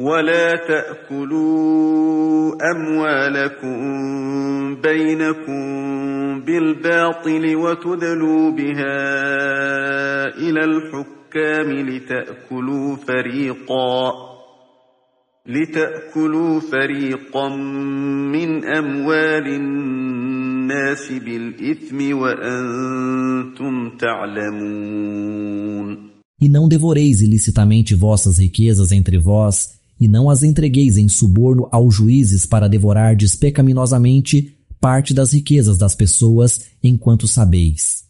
ولا تأكلوا أموالكم بينكم بالباطل وتدلوا بها إلى الحكام لتأكلوا فريقا من أموال الناس بالإثم وأنتم تعلمون. E não devoreis ilicitamente vossas riquezas entre vós, e não as entregueis em suborno aos juízes para devorardes pecaminosamente parte das riquezas das pessoas, enquanto sabeis.